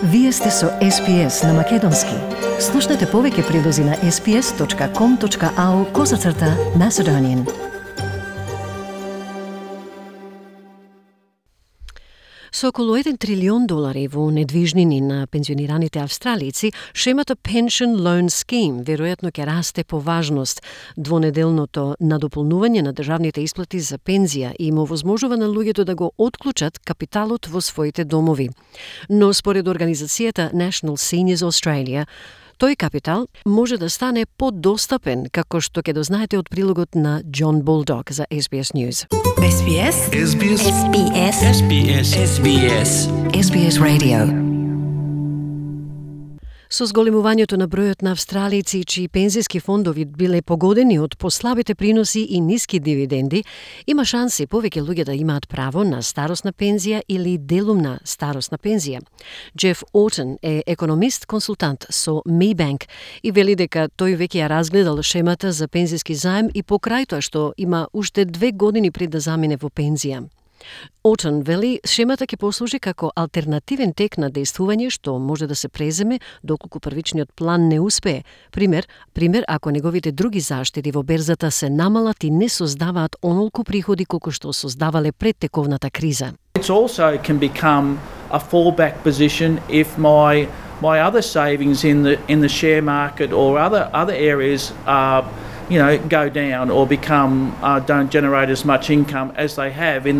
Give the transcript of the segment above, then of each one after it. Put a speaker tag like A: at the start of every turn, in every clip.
A: Вие сте со SPS на Македонски. Слушнете повеќе прилози на sps.com.au/Macedonian. Со околу $1 трилион во недвижнини на пензионираните австралици, шемата Pension Loan Scheme веројатно ќе расте по важност. Двонеделното надополнување на државните исплати за пензија им овозможува на луѓето да го отклучат капиталот во своите домови. Но според организацијата National Seniors Australia, тој капитал може да стане подостапен, како што ќе дознаете од прилогот на Џон Булдог за SBS News.
B: SBS SBS SBS SBS SBS
A: SBS Radio. Со зголемувањето на бројот на австралици чии пензиски фондови биле погодени од послабите приноси и ниски дивиденди, има шанси повеќе луѓе да имаат право на старосна пензија или делумна старосна пензија. Джеф Отон е економист-консултант со Maybank и вели дека тој веќе ја разгледал шемата за пензиски заем и покрај тоа што има уште 2 години пред да замине во пензија. Отон вели шемата ќе послужи како алтернативен тек на действување што може да се преземе доколку првичниот план не успее. Пример ако неговите други заштеди во берзата се намалат и не создаваат онолку приходи колку што создавале пред тековната криза.
C: It also can become a fallback position if my other savings in the share market or other areas go down or become don't generate as much income as they have in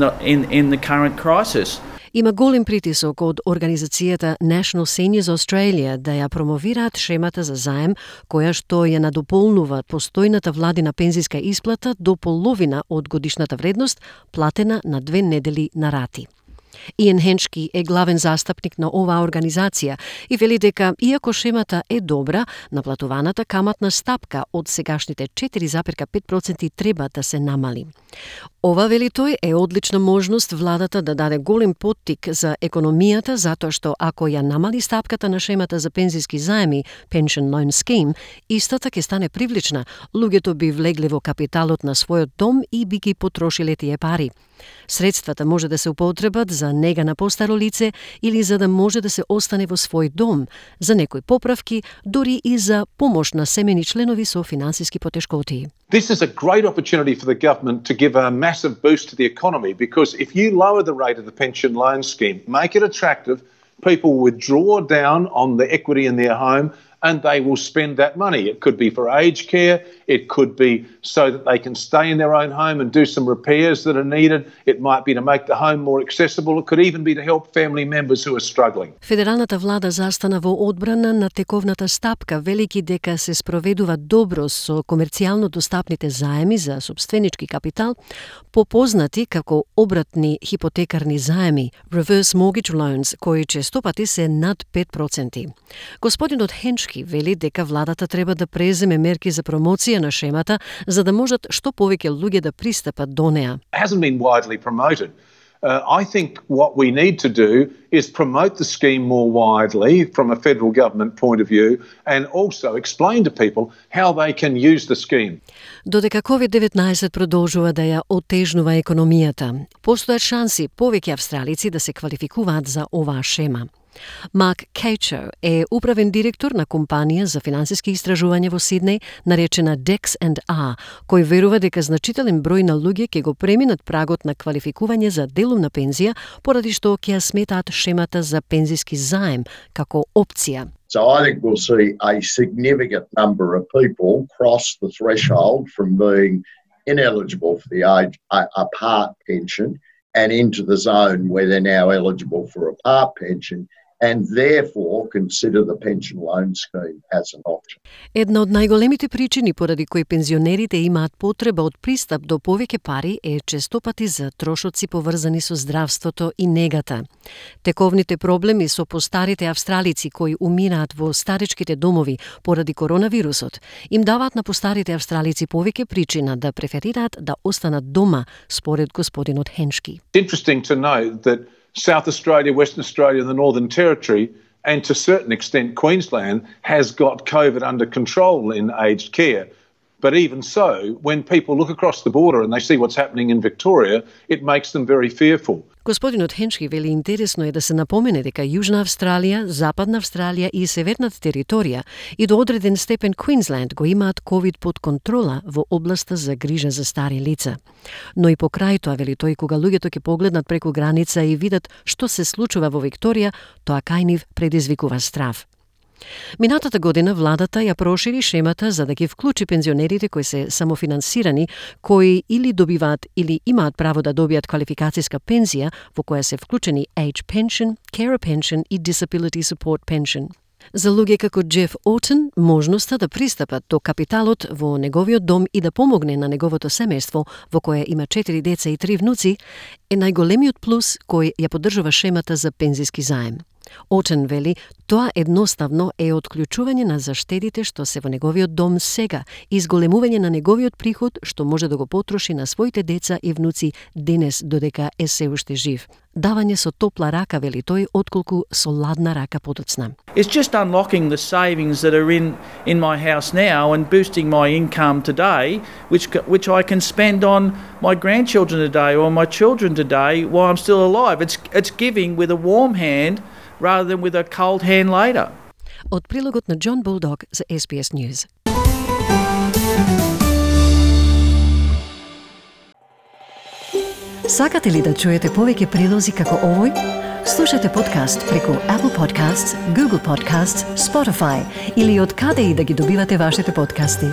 C: the current crisis.
A: Има голем притисок од организацијата National Seniors Australia да ја промовираат шемата за заем, која што ја надополнува постојната владина пензиска исплата до половина од годишната вредност, платена на 2 недели на рати. Иен Хеншки е главен застапник на оваа организација и вели дека, иако шемата е добра, наплатуваната каматна стапка од сегашните 4,5% треба да се намали. Ова, вели тој, е одлична можност владата да даде голем поттик за економијата, затоа што ако ја намали стапката на шемата за пензиски заеми, Pension Loan Scheme, истата ќе стане привлична. Луѓето би влегле во капиталот на својот дом и би ги потрошиле тие пари. Средствата може да се употребат за нега на постаро лице или за да може да се остане во свој дом, за некои поправки, дури и за помош на семени членови со финансиски потешкоти.
D: This is a great opportunity for the government to give a massive boost to the economy because if you lower the rate of the pension loan scheme, make it attractive, people will withdraw down on the equity in their home and they will spend that money. It could be for aged care, it could be so that they can stay in their own home and do some repairs that are needed. It might be to make the home more accessible. It could even be to help family members who are struggling.
A: Федералната влада застана во одбрана на тековната стапка, велики дека се спроведува добро со комерцијално достапните заеми за сопственички капитал, попознати како обратни хипотекарни заеми, reverse mortgage loans, кои честопати се над 5%. Господинот Хеншки вели дека владата треба да преземе мерки за промоција на шемата за да можат што повеќе луѓе да пристапат до неа.
D: It hasn't been widely promoted. I think what we need to do is promote the scheme more widely from a federal government point of view and also explain to people how they can use the scheme.
A: Додека COVID-19 продолжува да ја отежнува економијата, постојат шанси повеќе австралици да се квалификуваат за оваа шема. Марк Кейчо е управен директор на компанија за финансиски истражувања во Сиднеј, наречена Dex&R, кој верува дека значителен број на луѓе ќе го преминат прагот на квалификување за делумна пензија, поради што ќе ја сметаат шемата за пензиски заем како опција.
E: So I think we'll see a significant number of people cross the threshold from being ineligible for the a part pension and into the zone where they're now eligible for a part pension and therefore consider the pension loan scheme as an option.
A: Една од најголемите причини поради кои пензионерите имаат потреба од пристап до повеќе пари е честопати за трошоци поврзани со здравството и негата. Тековните проблеми со постарите австралици кои умираат во старечките домови поради коронавирусот им даваат на постарите австралици повеќе причина да преферираат да останат дома, според господинот Хеншки.
D: It's interesting to know that South Australia, Western Australia and the Northern Territory and to a certain extent Queensland has got COVID under control in aged care. But even so, when people look across the border and they see what's happening in Victoria, it makes them very fearful.
A: Господинот Хеншки вели интересно е да се напомене дека Јужна Австралија, Западна Австралија и Северната територија и до одреден степен Квинсленд го имаат ковид под контрола во областа за грижа за стари лица. Но и покрај тоа, вели тој, кога луѓето ќе погледнат преку граница и видат што се случува во Викторија, тоа кај нив предизвикува страв. Минатата година владата ја прошири шемата за да ги вклучи пензионерите кои се самофинансирани, кои или добиваат или имаат право да добијат квалификацијска пензија во која се вклучени Age Pension, Carer Pension и Disability Support Pension. За луѓе како Джеф Отен, можноста да пристапат до капиталот во неговиот дом и да помогне на неговото семејство, во кое има 4 деца и 3 внуци, е најголемиот плюс кој ја поддржува шемата за пензиски заем. Отен вели, тоа едноставно е отклучување на заштедите што се во неговиот дом сега и изголемување на неговиот приход што може да го потроши на своите деца и внуци денес додека е се уште жив. Давање со топла рака, вели тој, отколку со ладна рака подоцна.
C: It's just unlocking the savings that are in my house now and boosting my income today, which I can spend on my grandchildren today or my children today while I'm still alive. It's giving with a warm hand rather than with a cold hand later.
A: Од прилогот на Џон Булдог за SBS News. Сакате ли да чуете повеќе прилози како овој? Слушате подкаст преку Apple Podcasts, Google Podcasts, Spotify или од каде и да ги добивате вашите подкасти.